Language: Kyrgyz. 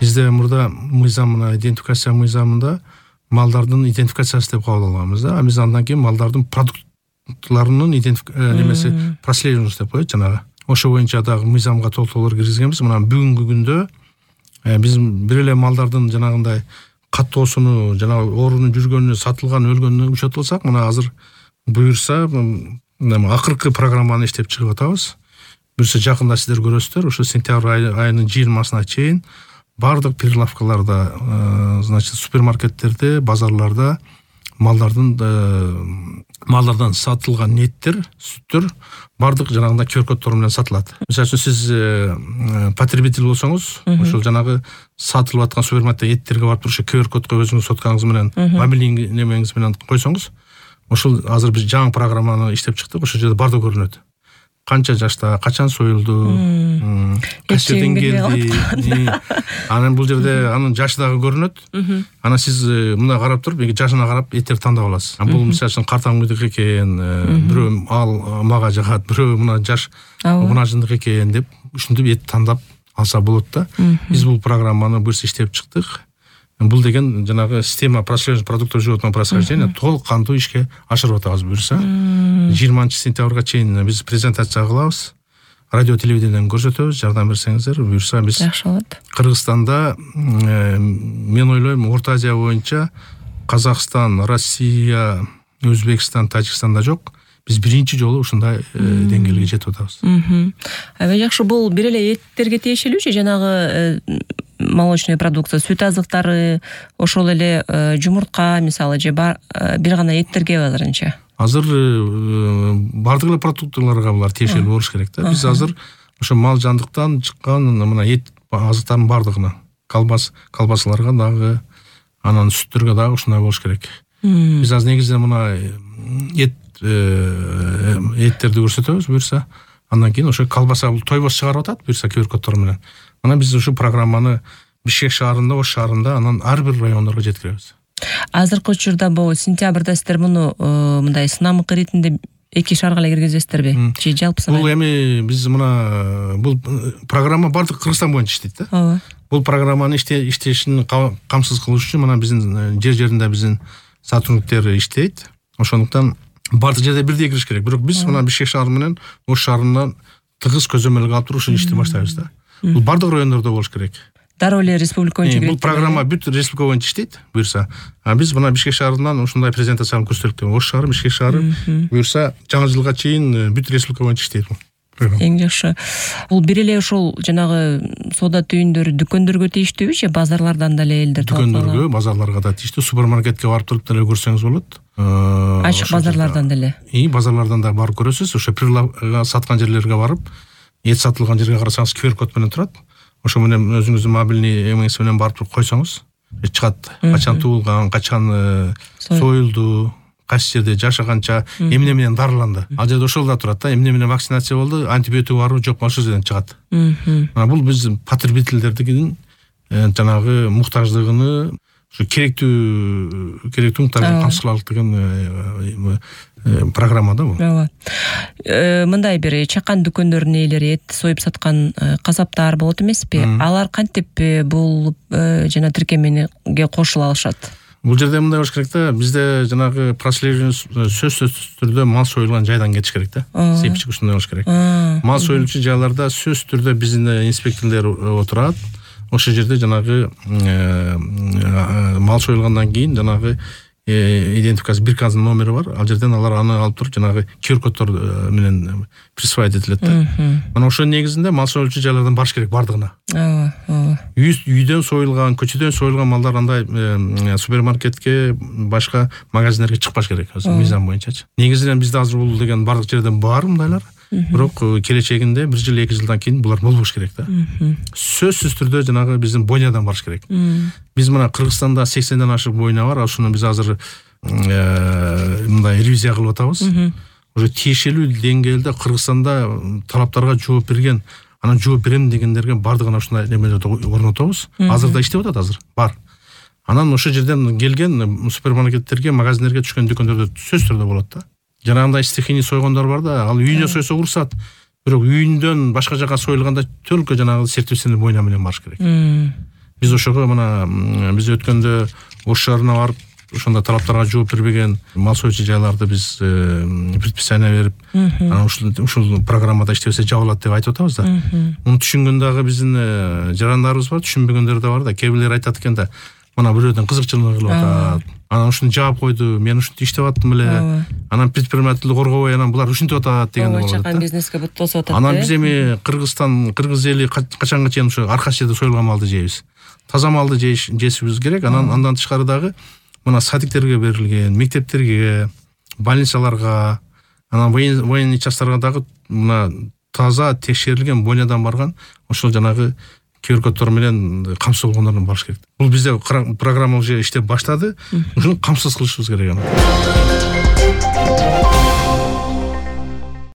Бизде мурда мыйзам, мына идентификация мыйзамында малдардын идентификациясы деп кабыл алганбыз да. Биз андан кийин малдардын продуктларынын немеси прослеживание деп коет жанагы. Ошо боюнча дагы мыйзамга толтуруулар киргизгенбиз. Мына бүгүнкү күндө биз бир эле малдардын жанагындай каттоосуну, жанагы оорунун жүргөнүнө, сатылган, өлгөнүнө учетуп алсак, мына азыр буюрса акыркы программаны иштеп чыгып атабыз. Буюрса жакында сиздер көрөсүздөр, ошо сентябрь айынын 20-сына чейин бардык прилавкаларда, значит, супермаркеттерде, базарларда малдардан сатылган еттер, сүттөр бардык жанагындай QR-коддор менен сатылат. Мисалы үчүн сиз потребитель болсоңуз, ошол жанагы сатылып аткан супермаркетте эттерге барып туруп QR-кодго өзүңүз соткаңыз менен, мобилдик немеңиз менен койсоңуз, ошол азыр биз жаңы программаны иштеп чыктык. Ошол жерде бардык көрүнөт. Канча жашта, качан союлду, кайсы жерден келди. Анан бул жерде анын жашы дагы көрүнөт. Анан сиз мына карап туруп, жашына карап эттерди тандап аласыз. Бул мисалы үчүн картаңгыдык экен, бирөө ал мага жагат, бирөө мына жаш унажындык экен деп ушинтип эт тандап алса болот да. Биз бул программаны буюрса иштеп чыктык. Бул деген жанагы система прослеживания продуктов животного происхождения толук кандуу ишке ашырып атабыз буюрса. 20-сентябрга чейин биз презентация кылабыз. Радио телевидениеден көрсөтөбүз, жардам берсеңиздер. Буюрса биз жакшы болот. Кыргызстанда мен ойлойм Орто Азия боюнча Казакстан, Россия, Өзбекстан, Тажикстанда жок. Биз биринчи жолу ушундай деңгээлге жетип атабыз. Аба жакшы, бул бир эле эттерге тиешелүүчү, жанагы молочный продукция, сүт азыктары, ошол эле жумуртка мисалы же бир гана эттерге азырынча? Азыр бардык эле продуктыларга булар тиешелүү болуш керек да. Биз азыр ошо мал жандыктан чыккан мына эт азыктардын бардыгына, колбасаларга дагы, анан сүттөргө дагы ушундай болуш керек. Биз азыр негизинен мына эттерди көрсөтөбүз буюрса, андан кийин ошо колбаса тойбос чыгарып атат буюрса QR-коддор менен. Анан биз ушу программаны Бишкек шаарында, Ош шаарында, анан ар бир райондорго жеткиребиз. Азыркы учурда бул сентябрда сиздер муну мындай сынамык иретинде 2 шаарга эле киргизесиздерби? Же жалпы сынам? Бул эми биз мына бул программа бардык Кыргызстан боюнча иштейт да. Ооба. Бул программаны иштешин камсыз кылыш үчүн мына биздин жер-жеринде биздин сотрудниктер иштейт. Ошондуктан бардык жерде бирдей кириш керек. Бирок биз мына Бишкек шаары менен Ош шаарынан тыгыз көзөмөлгө алып туруп ушул ишти баштайбыз да. Бул бардык райондордо болуш керек. Дароо эле республика боюнча бул программа бүт республика боюнча иштейт буюрса. Биз мына Бишкек шаарынан ушундай презентацияны көрсөттүк. Ош шаары, Бишкек шаары буюрса жаңы жылга чейин бүт республика боюнча иштейт бул. Эң жакшы. Бул бир эле ошол жанагы соода түйүндөрү дүкөндөргө тийиштүүбү же базарлардан деле элдер талап алат? Дүкөндөргө, базарларга да тийиштүү. Супермаркетке барып туруп деле көрсөңүз болот. Ачык базарлардан деле. Базарлардан да барып көрөсүз. Ошо прилавка саткан жерлерге барып, эт сатылган жерге карасаңыз QR-код менен турат. Ошо менен өзүңүздүн мобилный эмеңиз менен барып туруп койсоңуз, чыгат. Качан туулган, качан союлду, кайсы жерде жашаганча, эмне менен дарыланды. Ал жерде ошол да турат да, эмне менен вакцинация болду, антибиотик барбы, жокпу, ошол жерден чыгат. Мына бул биз потребительдердин жанагы муктаждыгыны, ушу керектүү муктаждыгын камсыз кылалык деген программа да бул. Ооба. Мындай бир чакан дүкөндөрдүн ээлери, эт союп саткан касаптар болот эмеспи? Алар кантип бул жана тиркемеге кошула алышат? Бул жерде мындай болуш керек да, бизде жанагы прослеживание сөзсүз түрдө мал союлган жайдан кетиш керек да. Сепчик ушундай болуш керек. Мал союлчу жайларда сөзсүз түрдө биздин инспекторлор отурат. Ошол жерде жанагы мал союлгандан кийин жанагы идентификация биркасынын номери бар. Ал жерден алар аны алып туруп жанагы QR-коддор менен присваивать этилет да. Мына ошо негизинде мал союлчу жайлардан барыш керек бардыгына. Үйдөн союлган, көчөдөн союлган малдар андай супермаркетке, башка магазиндерге чыкпаш керек, мыйзам боюнчачы. Негизинен бизде азыр бул деген бардык жерден бар мындайлар. Бирок келечегинде 1 жыл 2 жылдан кийин булар болбош керек да. Сөзсүз түрдө жанагы биздин бойнядан барыш керек. Биз мына Кыргызстанда 80ден ашык бойня бар, ошону биз азыр мындай ревизия кылып атабыз. Уже тиешелүү деңгээлде Кыргызстанда талаптарга жооп берген, анан жооп берем дегендерге бардыгына ушундай немелерди орнотобуз. Азыр да иштеп атат, азыр бар. Анан ошол жерден келген супермаркеттерге, магазиндерге түшкөн дүкөндөрдө сөзсүз түрдө болот да. Жанагындай стихийный сойгондор бар да, ал үйүнө сойсо уруксат. Бирок үйүндөн башка жака союлганда только жанагы сертифицированный бойня менен барыш керек. Биз ошого мына биз өткөндө Ош шаарына барып ошондо талаптарга жооп бербеген мал союучу жайларды биз предписание берип, анан ушул программада иштебесе жабылат деп айтып атабыз да. Муну түшүнгөн дагы биздин жарандарыбыз бар, түшүнбөгөндөр да бар да. Кээ бирлер айтат экен да, мына бирөөдөн кызыкчылыгы кылып атат. Анан ушуну жаап койду, мен ушинтип иштеп аттым эле. Анан предпринимательдик коргобой, анан булар ушинтип атат деген болот. Чакан бизнеске бут тосуп атат. Анан биз эми кыргыз эли качанга чейин ушу аркаш жерде союлган малды жейбиз. Таза малды жешибиз керек. Андан тышкары дагы мына садиктерге берилген, мектептерге, больницаларга, анан военный частарга дагы мына таза текшерилген бойнядан барган ошол жанагы QR-коддор менен камсыз болгондордон барыш керек. Бул бизде программа уже иштеп баштады. Ушуну камсыз кылышыбыз керек.